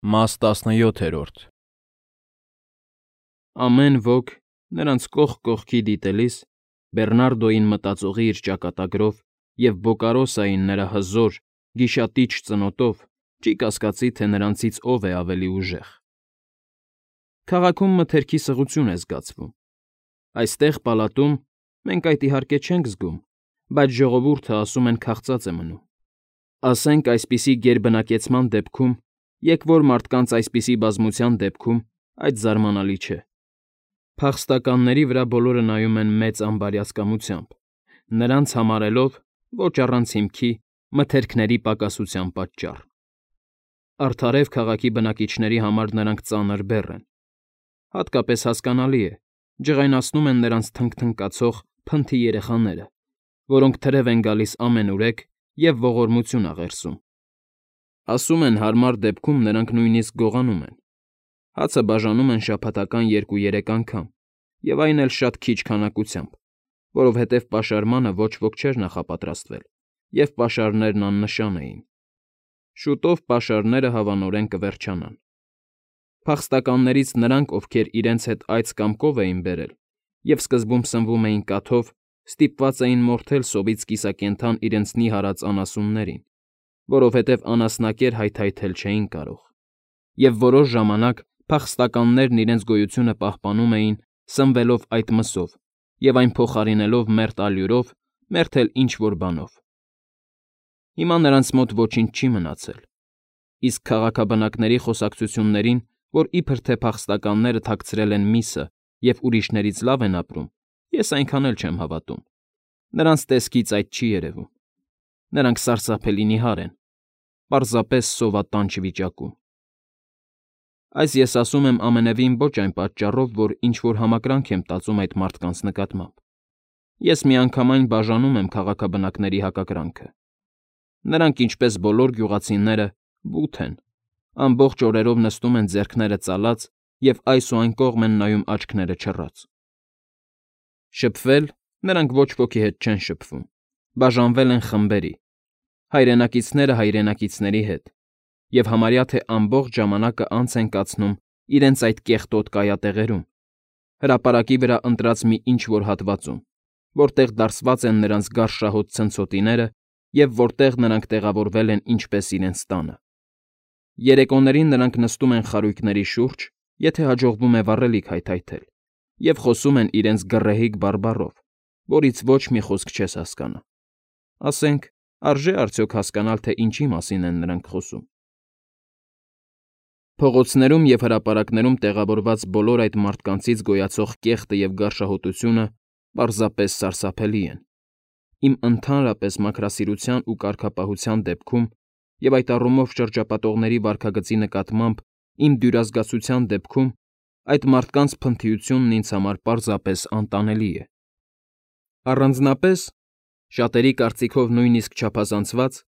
Մաս 17 Ամեն ոք, նրանց կողք կողքի դիտելիս, Բեռնարդոյին մտածողի իր ճակատագրով և Բոկարոսային նրա հզոր, գիշատիչ ծնոտով չի կասկածի, թե նրանցից ով է ավելի ուժեղ։ Քաղաքում մթերքի սղություն է զգացվում։ Այստեղ, պալատում, մենք այդ իհարկե չենք զգում, բայց ժողովուրդը ասում են քաղցած է մնում։ Ասենք այսպիսի գերբնակեցման դեպքում, եկվոր մարդկանց այսպիսի բազմության դեպքում այդ զարմանալի չէ։ Փախստականների վրա բոլորը նայում են մեծ անբարյացկամությամբ, նրանց համարելով, ոչ առանց հիմքի, մթերքների պակասության պատճառ։ Արդարև քաղաքի բնակիչների համար նրանք ծանր բեռ են։ Հատկապես հասկանալի է, ջղայնացնում են նրանց թնքթնկացող փնթի երեխաները, որոնք թրև են գալիս ամենուրեք և ողորմություն աղերսում։ Ասում են, հարմար դեպքում նրանք նույնիսկ գողանում են։ Հացը բաժանում են շաբաթական 2-3 անգամ, և այն էլ շատ քիչ քանակությամբ, որովհետև պաշարմանը ոչ ոք չէր նախապատրաստվել, և պաշարներն աննշան էին։ Շուտով պաշարները հավանորեն կվերջանան։ Փախստականներից նրանք, ովքեր իրենց հետ այծ կամ կով էին բերել և սկզբում սնվում էին կաթով, ստիպված էին մորթել սովից կիսակենդան իրենց նիհարած անասուններին, որովհետև անասնակեր հայթայթել չէին կարող, և որոշ ժամանակ փախստականներն իրենց գոյությունը պահպանում էին, սնվելով այդ մսով և այն փոխարինելով մերթ ալյուրով, մերթ էլ ինչ֊որ բանով։ Հիմա նրանց մոտ ոչինչ չի մնացել, իսկ քաղաքաբնակների խոսակցություններին, որ իբր թե փախստականները թաքցրել են միսը և ուրիշներից լավ են ապրում, ես այնքան էլ չեմ հավատում։ Նրանց տեսքից այդ չի երևում։ Նրանք սարսափելի նիհար են, պարզապես սովատանչ վիճակում։ Այս ես ասում եմ ամենևին ոչ այն պատճառով, որ ինչ֊որ համակրանք եմ տածում այդ մարդկանց նկատմամբ։ Ես միանգամայն բաժանում եմ քաղաքաբնակների հակակրանքը։ Նրանք, ինչպես բոլոր գյուղացիները, բութ են, ամբողջ օրերով նստում են ձեռքները ծալած և այս ու այն կողմ են նայում աչքները չռած։ Շփվել նրանք ոչ ոքի հետ չեն շփվում, բաժանվել են խմբերի, հայրենակիցները հայրենակիցների հետ, և համարյա թե ամբողջ ժամանակը անց են կացնում իրենց այդ կեղտոտ կայատեղերում, հրապարակի վրա ընտրած մի ինչ֊որ հատվածում, որտեղ դարսված են նրանց գարշահոտ ցնցոտիները և որտեղ նրանք տեղավորվել են ինչպես իրենց տանը։ Երեկոներին նրանք նստում են խարույկների շուրջ, եթե հաջողվում է վառելիք հայթայթել, և խոսում են իրենց գռեհիկ բարբառով, որից ոչ մի խոսք չես հասկանա։ Ասենք, արժե՞ արդյոք հասկանալ, թե ինչի մասին են նրանք խոսում։ Փողոցներում և հրապարակներում տեղավորված բոլոր այդ մարդկանցից գոյացող կեղտը և գարշահոտությունը պարզապես սարսափելի են։ Իմ ընդհանրապես մաքրասիրության ու կարգապահության դեպքում և այդ առումով շրջապատողների վարքագծի նկատմամբ իմ դյուրազգացության դեպքում այդ մարդկանց փնթիությունն ինձ համար պարզապես անտանելի է։ Առանձնապես, շատերի կարծիքով նույնիսկ չափազանցված,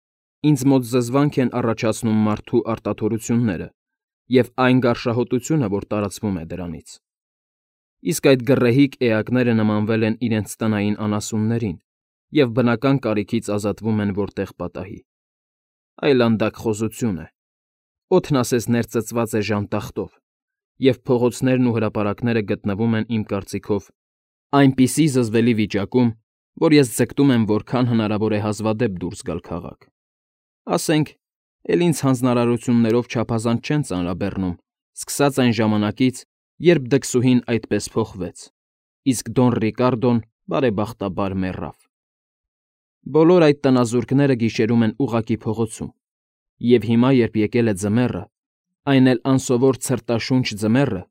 ինձ մոտ զզվանք են առաջացնում մարդու արտաթորությունները և այն գարշահոտությունը, որ տարածվում է դրանից։ Իսկ այդ գռեհիկ էակները նմանվել են իրենց տնային անասուններին և բնական կարիքից ազատվում են որտեղ պատահի։ Այլանդակ խոզություն է։ Օդն ասես ներծծված է ժանտախտով, և փողոցներն ու հրապարակները գտնվում են, իմ կարծիքով, այնպիսի զզվելի վիճակում, որ ես ձգտում եմ որքան հնարավոր է հազվադեպ դուրս գալ քաղաք։ Ասենք, էլ ինձ հանձնարարություններով չափազանց չեն ծանրաբեռնում, սկսած այն ժամանակից, երբ դքսուհին այդպես փոխվեց, իսկ Դոն Ռիկարդոն, բարեբախտաբար, մեռավ։ Բոլոր այդ տնազուրկները գիշերում են ուղղակի փողոցում, և հիմա, երբ եկել է ձմեռը, այն էլ անսովոր ցրտաշունչ ձմեռը,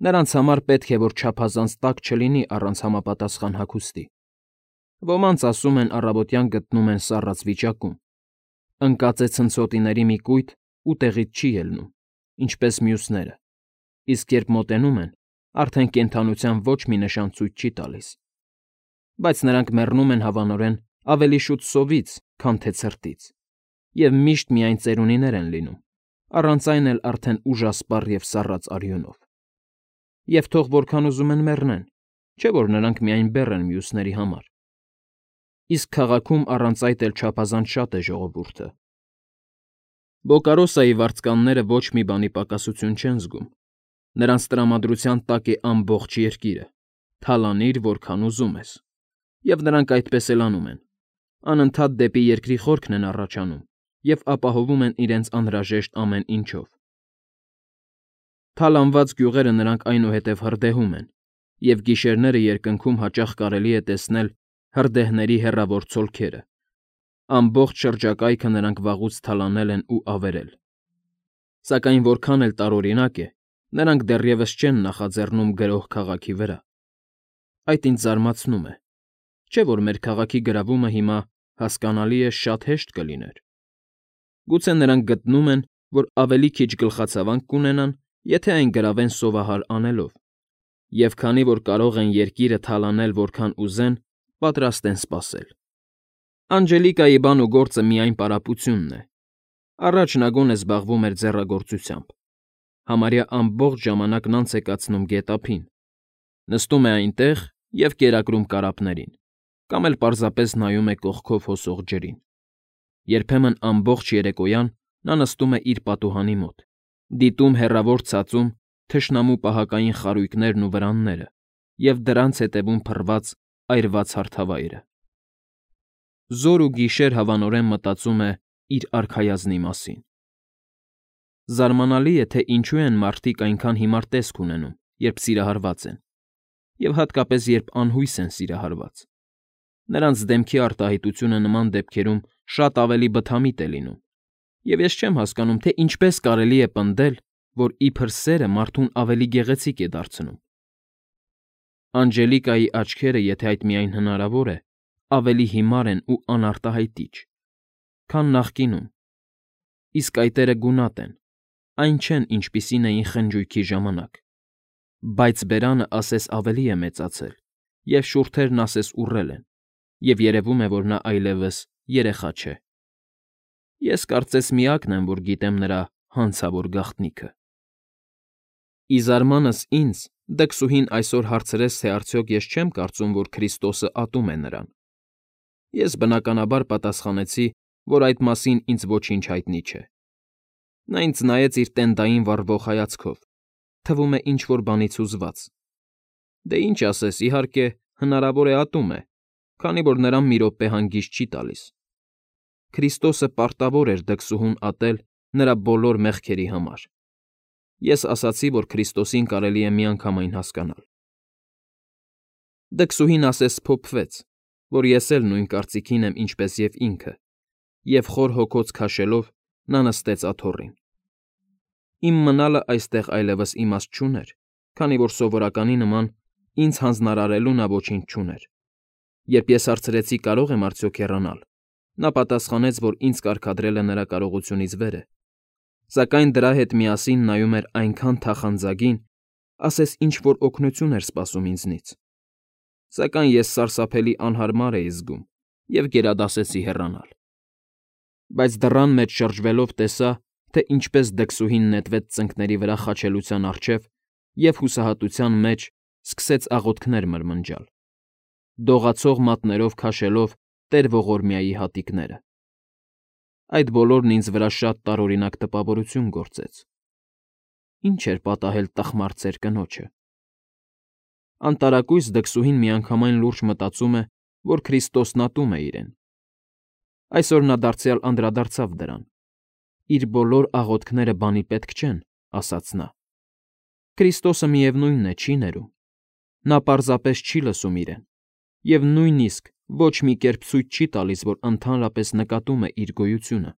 նրանց համար պետք է որ չափազանց տաք չլինի առանց համապատասխան հագուստի։ Ոմանց, ասում են, առավոտյան գտնում են սառած վիճակում, ընկած է ցնցոտիների մի կույտ ու տեղից չի ելնում, ինչպես մյուսները, իսկ երբ մոտենում են, արդեն կենդանության ոչ մի նշան ցույց չի տալիս։ Բայց նրանք մեռնում են հավանորեն ավելի շուտ սովից, քան թե ցրտից, և միշտ միայն ծերունիներ են լինում, առանց այն էլ արդեն ուժասպառ և սառած արյունով։ Եվ թող որքան ուզում են մեռնեն, չէ՞ որ նրանք միայն բեռ են մյուսների համար։ Իսկ քաղաքում առանց այդ էլ չափազանց շատ է ժողովուրդը։ Բոկարոսայի վարձկանները ոչ մի բանի պակասություն չեն զգում. նրանց տրամադրության տակ է ամբողջ երկիրը, թալանիր, որքան ուզում ես, և նրանք այդպես էլ անում են, անընդհատ դեպի երկրի խորքն են առաջանում և ապահովում են իրենց անհրաժեշտ ամեն ինչով։ Թալանված գյուղերը նրանք այնուհետև հրդեհում են, և գիշերները երկնքում հաճախ կարելի է տեսնել հրդեհների հեռավոր ցոլքերը, ամբողջ շրջակայքը նրանք վաղուց թալանել են ու ավերել։ Սակայն որքան էլ տարօրինակ է, նրանք դեռևս չեն նախաձեռնում գրոհ քաղաքի վրա։ Այդ ինձ զարմացնում է, չէ՞ որ մեր քաղաքի գրավումը հիմա, հասկանալի է, շատ հեշտ կլիներ։ Գուցե նրանք գտնում են, որ ավելի քիչ գլխացավանք կունենան, եթե այն գրավեն սովահար անելով, և քանի որ կարող են երկիրը թալանել որքան ուզեն, պատրաստ են սպասել։ Անջելիկայի բան ու գործը միայն պարապությունն է։ Առաջ նա գոնե զբաղվում էր ձեռագործությամբ, համարյա ամբողջ ժամանակն անց է կացնում գետափին, նստում է այնտեղ և կերակրում կարապներին, կամ էլ պարզապես նայում է կողքով հոսող ջրին։ Երբեմն ամբողջ երեկոյան նա նստում է իր պատուհանի մոտ, դիտում հեռավոր ցածում թշնամու պահակային խարույկներն ու վրանները և դրանց հետևում փռված այրված հարթավայրը։ Զօր ու գիշեր հավանորեն մտածում է իր արքայազնի մասին։ Զարմանալի է, թե ինչու են մարդիկ այնքան հիմար տեսք ունենում, երբ սիրահարված են, և հատկապես երբ անհույս են սիրահարված։ Նրանց դեմքի արտահայտությունը նման դեպքերում շատ ավելի բթամիտ է լինում, և ես չեմ հասկանում, թե ինչպես կարելի է պնդել, որ իբր սերը մարդուն ավելի գեղեցիկ է դարձնում։ Անջելիկայի աչքերը, եթե այդ միայն հնարավոր է, ավելի հիմար են ու անարտահայտիչ, քան նախկինում, իսկ այտերը գունատ են, այն չեն, ինչպիսին էին խնջույքի ժամանակ, բայց բերանը ասես ավելի է մեծացել, և շուրթերն ասես ուռել են, և երևում է, որ նա այլևս երեխա չէ։ Ես կարծես միակն եմ, որ գիտեմ նրա հանցավոր գաղտնիքը։ Ի զարմանս ինձ դքսուհին այսօր հարցրեց, թե արդյոք ես չեմ կարծում, որ Քրիստոսը ատում է նրան։ Ես բնականաբար պատասխանեցի, որ այդ մասին ինձ ոչինչ հայտնի չէ։ Նա ինձ նայեց իր տենդային վառվող հայացքով, թվում է ինչ֊որ բանից հուզված։ Դե ինչ ասես, իհարկե, հնարավոր է ատում է, քանի որ նրան մի րոպե հանգիստ չի տալիս։ Քրիստոսը պարտավոր էր դքսուհուն ատել նրա բոլոր մեղքերի համար։ Ես ասացի, որ Քրիստոսին կարելի է միանգամայն հասկանալ։ Դքսուհին ասես սփոփվեց, որ ես էլ նույն կարծիքին եմ, ինչպես և ինքը, և խոր հոգոց քաշելով նա նստեց աթոռին։ Իմ մնալը այստեղ այլևս իմաստ չուներ, քանի որ սովորականի նման ինձ հանձնարարելու նա ոչինչ չուներ։ Երբ ես հարցրեցի՝ կարո՞ղ եմ արդյոք հեռանալ, նա պատասխանեց, որ ինձ կարգադրելը նրա կարողությունից վեր է, սակայն դրա հետ միասին նայում էր այնքան թախանձագին, ասես ինչ֊որ օգնություն էր սպասում ինձնից։ Սակայն ես սարսափելի անհարմար էի զգում և գերադասեցի հեռանալ։ Բայց դռան մեջ շրջվելով տեսա, թե ինչպես դքսուհին նետվեց ծնկների վրա խաչելության առջև և հուսահատության մեջ սկսեց աղոթքներ մրմնջալ, դողացող մատներով քաշելով տեր ողորմյայի հատիկները։ Այդ բոլորն ինձ վրա շատ տարօրինակ տպավորություն գործեց։ Ինչ էր պատահել տխմար կնոջը։ Անտարակույս դքսուհին միանգամայն լուրջ մտածում է, որ Քրիստոսն ատում է իրեն։ Այսօր նա դարձյալ անդրադարձավ դրան։ Իր բոլոր աղոթքները բանի պետք չեն, ասաց նա։ Քրիստոսը միևնույնն է, չի ներում։ Նա պարզապես չի լսում իրեն և նույնիսկ ոչ մի կերպ ցույց չի տալիս, որ ընդհանրապես նկատում է իր գոյությունը։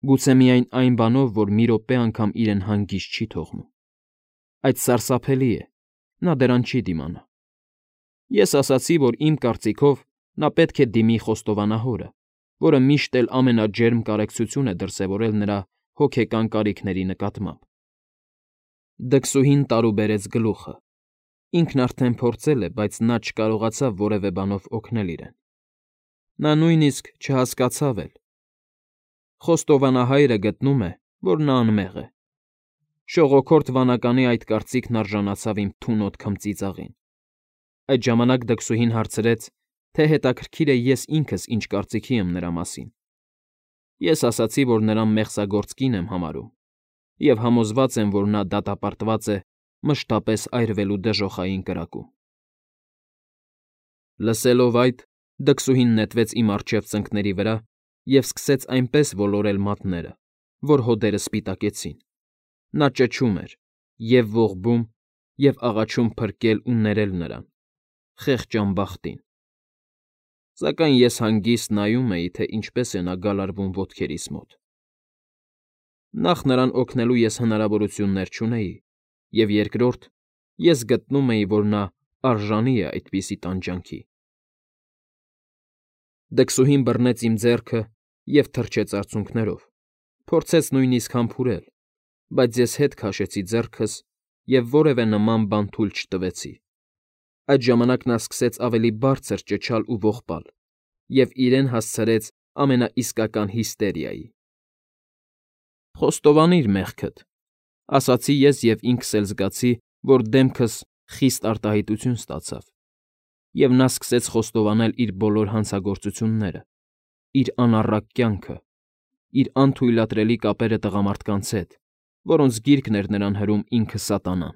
Գուցե միայն այն բանով, որ մի րոպե անգամ իրեն հանգիստ չի թողնում։ Այդ սարսափելի է, նա դրան չի դիմանա։ Ես ասացի, որ իմ կարծիքով նա պետք է դիմի խոստովանահորը, որը միշտ էլ ամենաջերմ կարեկցություն է դրսևորել նրա հոգեկան կարիքների նկատմամբ։ Դքսուհին տարուբերեց գլուխը։ Ինքն արդեն փորձել է, բայց նա չկարողացավ որևէ բանով օգնել իրեն։ Նա նույնիսկ չհասկացավ էլ։ Խոստովանահայրը գտնում է, որ նա անմեղ է։ Շողոքորթ վանականի այդ կարծիքն արժանացավ իմ թունոտ քմծիծաղին։ Այդ ժամանակ դքսուհին հարցրեց, թե հետաքրքիր է ես ինքս ինչ կարծիքի եմ նրա մասին։ Ես ասացի, որ նրան մեղսագործ կին եմ համարում, և համոզված եմ, որ նա դատապարտված է մշտապես այրվելու դժոխային կրակում։ Լսելով այդ, դքսուհին նետվեց իմ առջև ծնկների վրա և սկսեց այնպես ոլորել մատները, որ հոդերը սպիտակեցին։ Նա ճչում էր, և ողբում, և աղաչում փրկել ու ներել նրան, խեղճ ամբախտին։ Սակայն ես հանգիստ նայում էի, թե ինչպես է նա գալարվում ոտքերիս մոտ։ Նախ նրան օգնելու ես հնարավորություններ չունեի, և երկրորդ, ես գտնում էի, որ նա արժանի է այդպիսի տանջանքի։ Դքսուհին բռնեց իմ ձեռքը և թռչեց արցունքներով, փորձեց նույնիսկ համբուրել, բայց ես հետ քաշեցի ձեռքս և որևէ նման բան թույլ չտվեցի։ Այդ ժամանակ նա սկսեց ավելի բարձր ճչալ ու ողբալ և իրեն հասցրեց ամենաիսկական հիստերիայի։ «Խոստովանիր մեղքդ,֊ ասացի ես և ինքս էլ զգացի, որ դեմքս խիստ արտահայտություն ստացավ, և նա սկսեց խոստովանել իր բոլոր հանցագործությունները, իր անառակ կյանքը, իր անթույլատրելի կապերը տղամարդկանց հետ, որոնց գիրկն էր նրան հրում ինքը սատանան,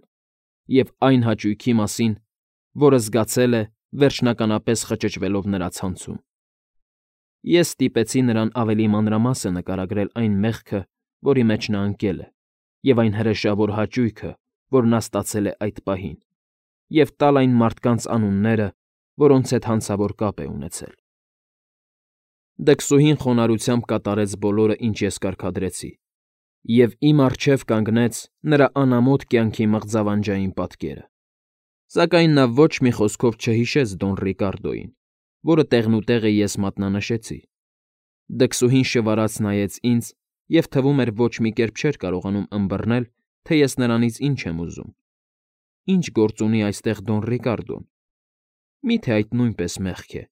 և այն հաճույքի մասին, որը զգացել է, վերջնականապես խճճվելով նրա ցանցում։ Ես ստիպեցի նրան ավելի մանրամասն նկարագրել այն մեղքը, որի մեջ նա ընկել է, և այն հրեշավոր հաճույքը, որ նա ստացել է այդ պահին, և տալ այն մարդկանց անունները, որոնց հետ հանցավոր կապ է ունեցել։ Դքսուհին խոնարհությամբ կատարեց բոլորը, ինչ ես կարգադրեցի, և իմ առջև կանգնեց նրա անամոթ կյանքի մղձավանջային պատկերը։ Սակայն նա ոչ մի խոսքով չհիշեց Դոն Ռիկարդոյին, որը տեղնուտեղը ես մատնանշեցի։ Դքսուհին շվարած նայեց ինձ և թվում էր ոչ մի կերպ չէր կարողանում ըմբռնել, թե ես նրանից ինչ եմ ուզում։ Ինչ գործ ունի այստեղ Դոն Ռիկարդոն։ Մի՞թե այդ նույնպես մեղք է։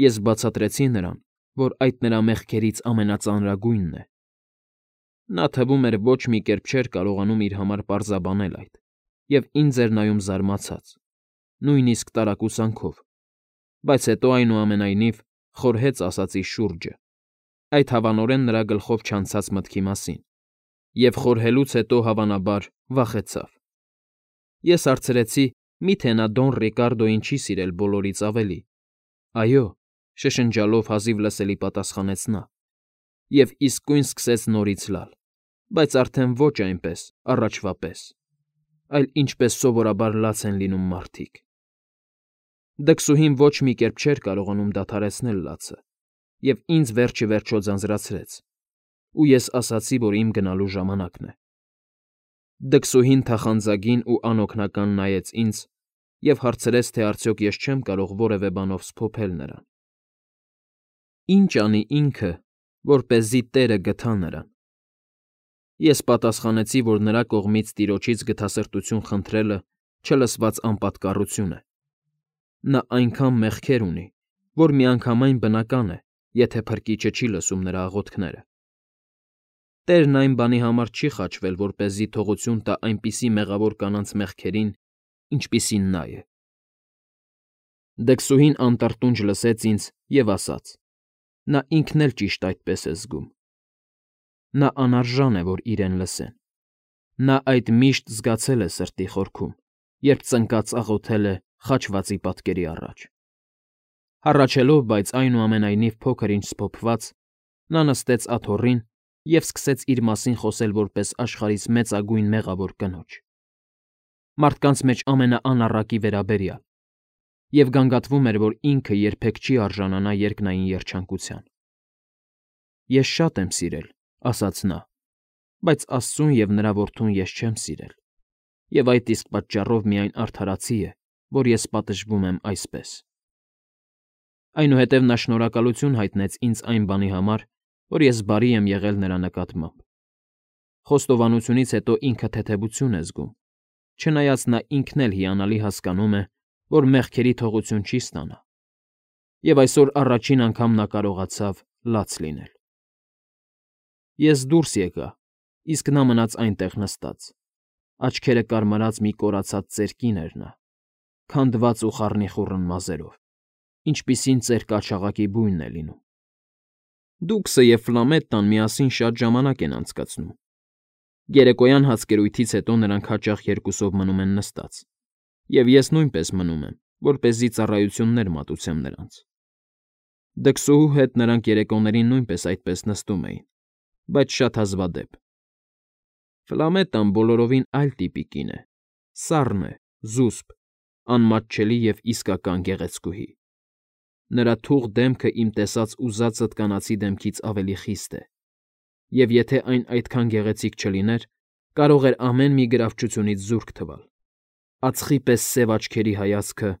Ես բացատրեցի նրան, որ այդ նրա մեղքերից ամենածանրագույնն է։ Նա, թվում էր, ոչ մի կերպ չէր կարողանում իր համար պարզաբանել այդ, և ինձ էր նայում զարմացած, նույնիսկ տարակուսանքով, բայց հետո, այնուամենայնիվ, խորհեց ասածի շուրջը, այդ հավանորեն նրա գլխով չանցած մտքի մասին, և խորհելուց հետո, հավանաբար, վախեցավ։ Ես հարցրեցի. «Մի՞թե նա Դոն Ռիկարդոյին չի սիրել բոլորից ավելի»։ «Այո», շշնջալով հազիվ լսելի պատասխանեց նա, և իսկույն սկսեց նորից լալ, բայց արդեն ոչ այնպես, առաջվա պես, այլ ինչպես սովորաբար լաց են լինում մարդիկ։ Դքսուհին ոչ մի կերպ չէր կարողանում դադարեցնել լացը, և ինձ վերջիվերջո ձանձրացրեց, ու ես ասացի, որ իմ գնալու ժամանակն է։ Դքսուհին թախանձագին ու անօգնական նայեց ինձ և հարցրեց, թե արդյոք ես չեմ կարող որևէ բանով սփոփել նրան։ Ինչ անի ինքը, որպեսզի տերը գթա նրան։ Ես պատասխանեցի, որ նրա կողմից տիրոջից գթասրտություն խնդրելը չլսված անպատկառություն է։ Նա այնքան մեղքեր ունի, որ միանգամայն բնական է, եթե փրկիչը չի լսում նրա աղոթքները։ Տերն այն բանի համար չի խաչվել, որպեսզի թողություն տա այնպիսի մեղավոր կանանց մեղքերին, ինչպիսին նա է։ Դքսուհին անտրտունջ լսեց ինձ և ասաց. «Նա ինքն էլ ճիշտ այդպես է զգում։ Նա անարժան է, որ իրեն լսեն։ Նա այդ միշտ զգացել է սրտի խորքում, երբ ծնկած աղոթել է խաչվածի պատկերի առաջ»։ Հառաչելով, բայց այնուամենայնիվ փոքր֊ինչ սփոփված, նա նստեց աթոռին և սկսեց իր մասին խոսել որպես աշխարհիս մեծագույն մեղավոր կնոջ, մարդկանց մեջ ամենաանառակի վերաբերյալ, և գանգատվում էր, որ ինքը երբեք չի արժանանա երկնային երջանկության։ «Ես շատ եմ սիրել,֊ ասաց նա,֊ բայց Աստծուն և նրա որդուն ես չեմ սիրել, և այդ իսկ պատճառով միայն արդարացի է, որ ես պատժվում եմ այսպես»։ Այնուհետև նա շնորհակալություն հայտնեց ինձ այն բանի համար, որ ես բարի եմ եղել նրա նկատմամբ։ Խոստովանությունից հետո ինքը թեթևություն է զգում, չնայած նա ինքն էլ հիանալի հասկանում է, որ մեղքերի թողություն չի ստանա, և այսօր առաջին անգամ նա կարողացավ լաց լինել։ Ես դուրս եկա, իսկ նա մնաց այնտեղ նստած, աչքերը կարմրած մի կորացած ծեր կին էր նա, քանդված ու խառնիխուռն մազերով, ինչպիսին ծեր կաչաղակի բույնն է լինում։ Դուքսը և Ֆլամետտան միասին շատ ժամանակ են անցկացնում։ Երեկոյան հացկերույթից հետո նրանք հաճախ երկուսով մնում են նստած, և ես նույնպես մնում եմ, որպեսզի ծառայություններ մատուցեմ նրանց։ Դքսուհու հետ նրանք երեկոներին նույնպես այդպես նստում էին, բայց շատ հազվադեպ։ Ֆլամետտան բոլորովին այլ տիպի կին է, սառն է, զուսպ, անմատչելի և իսկական գեղեցկուհի։ Նրա թուղ դեմքը իմ տեսած ուզածդ կանացի դեմքից ավելի խիստ է, և եթե այն այդքան գեղեցիկ չլիներ, կարող էր ամեն մի գրավչությունից զուրկ թվալ։ Ածխի պես սև աչքերի հայացքը,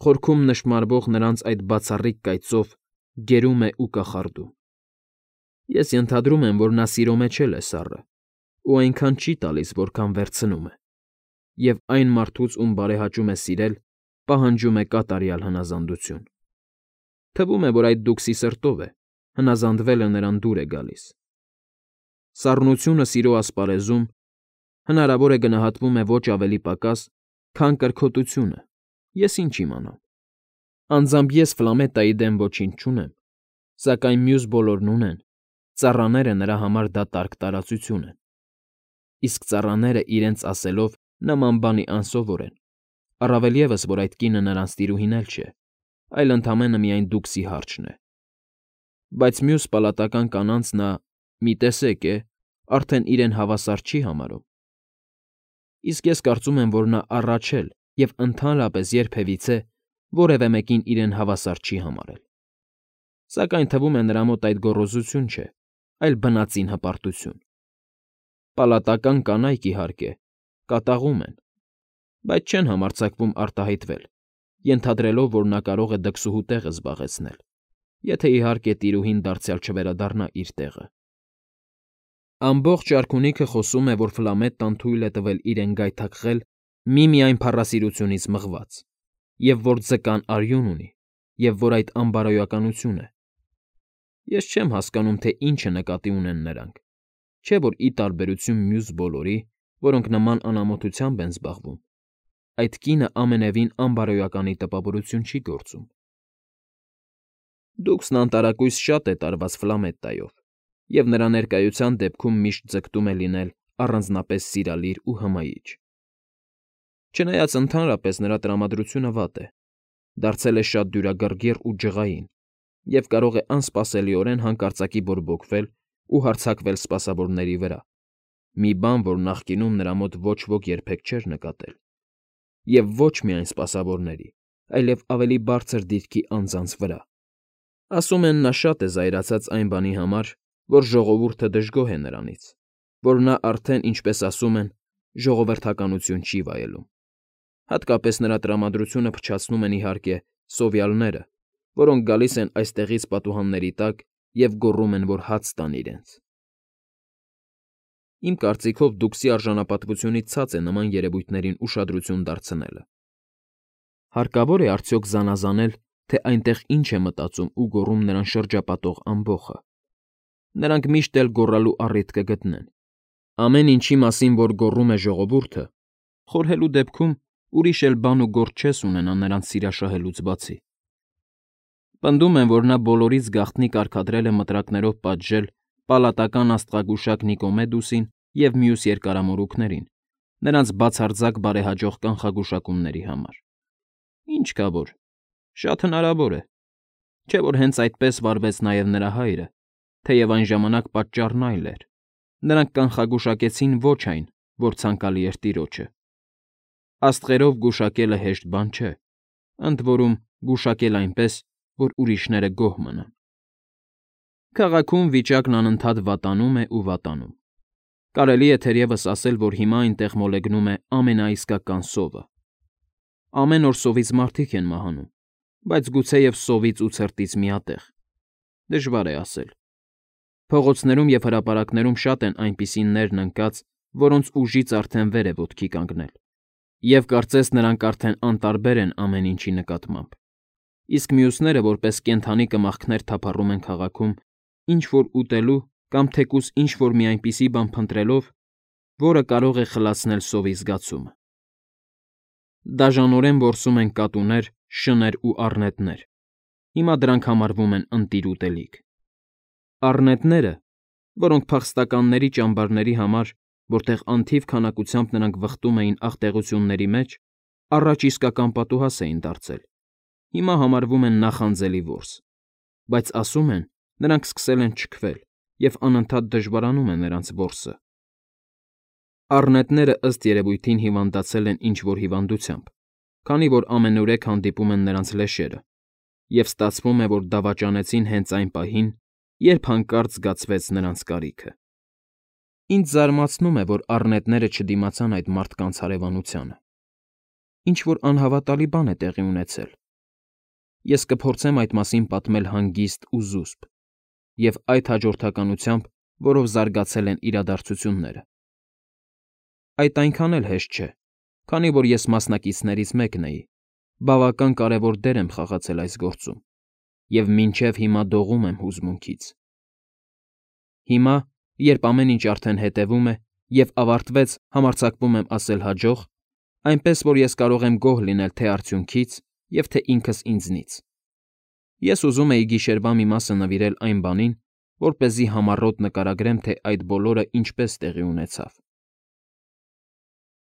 խորքում նշմարվող նրանց այդ բացառիկ կայծով գերում է ու կախարդում։ Ես ենթադրում եմ, որ նա սիրո մեջ է սառը, ու այնքան չի տալիս, որքան վերցնում է, և այն մարդուց, ում բարեհաճում է սիրել, պահանջում է կատարյալ հնազանդություն։ Թվում է, որ այդ դուքսի սրտով է, հնազանդվելը նրան դուր է գալիս։ Սառնությունը սիրո ասպարեզում հնարավոր է գնահատվում է ոչ ավելի պակաս, քան կրքոտությունը, ես ինչ իմանամ։ Անձամբ ես Ֆլամետայի դեմ ոչինչ չունեմ, սակայն մյուս բոլորն ունեն, ծառաները նրա համար դա տարգ տարածություն են։ Իսկ ծառաները իրենց ասելով նման բանի անսովոր են, առավել ևս, որ այդ կինը նրանց տիրուհին էլ չէ, այլ ընդամենը միայն դուքսի հարչն է։ Բայց մյուս պալատական կանանց նա, մի տեսեք է, արդեն իրեն հավասար չի համարում։ Իսկ ես կարծում եմ, որ նա առաջ էլ և ընդհանրապես երբևիցե որևէ մեկին իրեն հավասար չի համարել։ Սակայն թվում է նրա մոտ այդ գոռոզություն չէ, այլ բնածին հպարտություն։ Պալատական կանայք, իհարկե, կատաղում են, բայց չեն համարձակվում արտահայտվել, ենթադրելով, որ նա կարող է դքսուհու տեղը զբաղեցնել, եթե իհարկե տիրուհին դարձյալ չվերադառնա իր տեղը։ Ամբողջ արքունիքը խոսում է, որ Ֆլամետտան թույլ է տվել իրեն գայթակղել միմիայն փառասիրությունից մղված, և որ ձկան արյուն ունի, և որ այդ անբարոյականություն է։ Ես չեմ հասկանում, թե ինչ նկատի ունեն նրանք, չէ՞ որ ի տարբերություն մյուս բոլորի, որոնք նման անամոթությամբ են զբաղվում, այդ կինը ամենևին անբարոյականի տպավորություն չի գործում։ Դուքսն անտարակույս շատ է տարված Ֆլամետտայով, և նրա ներկայության դեպքում միշտ ձգտում է լինել առանձնապես սիրալիր ու հմայիչ։ Չնայած ընդհանրապես նրա տրամադրությունը վատ է, դարձել է շատ դյուրագրգիռ ու ջղային և կարող է անսպասելիորեն հանկարծակի բորբոքվել ու հարձակվել սպասավորների վրա, մի բան, որ նախկինում նրա մոտ ոչ ոք երբեք չէր նկատել, և ոչ միայն սպասավորների, այլև ավելի բարձր դիրքի անձանց վրա։ Ասում են, նա շատ է զայրացած այն բանի համար, որ ժողովուրդը դժգոհ է նրանից, որ նա արդեն, ինչպես ասում են, ժողովրդականություն չի վայելում։ Հատկապես նրա տրամադրությունը փչացնում են, իհարկե, սովյալները, որոնք գալիս են այստեղից պատուհանների տակ և գոռում են, որ հաց տան իրենց։ Իմ կարծիքով դուքսի արժանապատվությունից ցած է նման երևույթներին ուշադրություն դարձնելը։ Հարկավոր է արդյոք զանազանել, թե այնտեղ ինչ է մտածում ու գոռում նրան շրջապատող ամբոխը։ Նրանք միշտ էլ գոռալու առիթ կգտնեն։ Ամեն ինչի մասին, որ գոռում է ժողովուրդը, խորհելու դեպքում ուրիշ էլ բան ու գործ չես ունենա նրանց սիրաշահելուց բացի։ Պնդում են, որ նա բոլորից գաղտնի կարգադրել է մտրակներով պատժել պալատական աստղագուշակ Նիկոմեդուսին և մյուս երկարամորուքներին, նրանց բացարձակ բարեհաջող կանխագուշակումների համար։ Ինչ կա որ, շատ հնարավոր է, չէ՞ որ հենց այդպես վարվեց նաև նրա հայրը, թեև այն ժամանակ պատճառն այլ էր։ Նրանք կանխագուշակեցին ոչ այն, որ ցանկալի էր տիրոջը։ Աստղերով գուշակելը հեշտ բան չէ, ընդ որում գուշակել այնպես, որ ուրիշները գոհ մնան։ Քաղաքում վիճակն անընդհատ վատանում է ու վատանում։ Կարելի է թերևս ասել, որ հիմա այնտեղ մոլեգնում է ամենաիսկական սովը։ Ամեն օր սովից մարդիկ են մահանում, բայց գուցեև սովից ու ցրտից միատեղ։ Դժվար է ասել։ Փողոցներում և հրապարակներում շատ են այնպիսի ներն ընկած, որոնց ուժից արդեն վեր է ոտքի կանգնել, և կարծես նրանք արդեն անտարբեր են ամեն ինչի նկատմամբ, իսկ մյուսները որպես կենդանի կմախքներ թափառում են քաղաքում, ինչ֊որ ուտելու կամ թեկուզ ինչ֊որ մի այնպիսի բան փնտրելով, որը կարող է խլացնել սովի զգացումը։ Դաժանորեն որսում են կատուներ, շներ ու առնետներ։ Հիմա դրանք համարվում են ընտիր ուտելիք։ Առնետները, որոնք փախստականների ճամբարների համար, որտեղ անթիվ քանակությամբ նրանք վխտում էին աղտեղությունների մեջ, առաջ իսկական պատուհաս էին դարձել, հիմա համարվում են նախանձելի որս, բայց ասում են, նրանք սկսել են չքվել և անընդհատ դժվարանում է նրանց որսը։ Առնետները ըստ երևույթին հիվանդացել են ինչ֊որ հիվանդությամբ, քանի որ ամենուրեք հանդիպում են նրանց լեշերը, և ստացվում է, որ դավաճանեցին հենց այն պահին, երբ հանկարծ զգացվեց նրանց կարիքը։ Ինձ զարմացնում է, որ առնետները չդիմացան այդ մարդկանց հարևանությանը։ Ինչ-որ անհավատալի բան է տեղի ունեցել։ Ես կփորձեմ այդ մասին պատմել հանգիստ ու զուսպ, և այդ հաջորդականությամբ, որով զարգացել են իրադարձությունները։ Այդ այնքան էլ հեշտ չէ, քանի որ ես մասնակիցներից մեկն էի, բավական կարևոր դեր եմ խաղացել այս գործում և մինչև հիմա դողում եմ հուզմունքից։ Հիմա, երբ ամեն ինչ արդեն հետևում է և ավարտվեց, համարձակվում եմ ասել հաջող, այնպես որ ես կարող եմ գոհ լինել թե արդյունքից և թե ինքս ինձնից։ Ես ուզում էի գիշերվա մի մասը նվիրել այն բանին, որպեսզի համառոտ նկարագրեմ, թե այդ բոլորը ինչպես տեղի ունեցավ։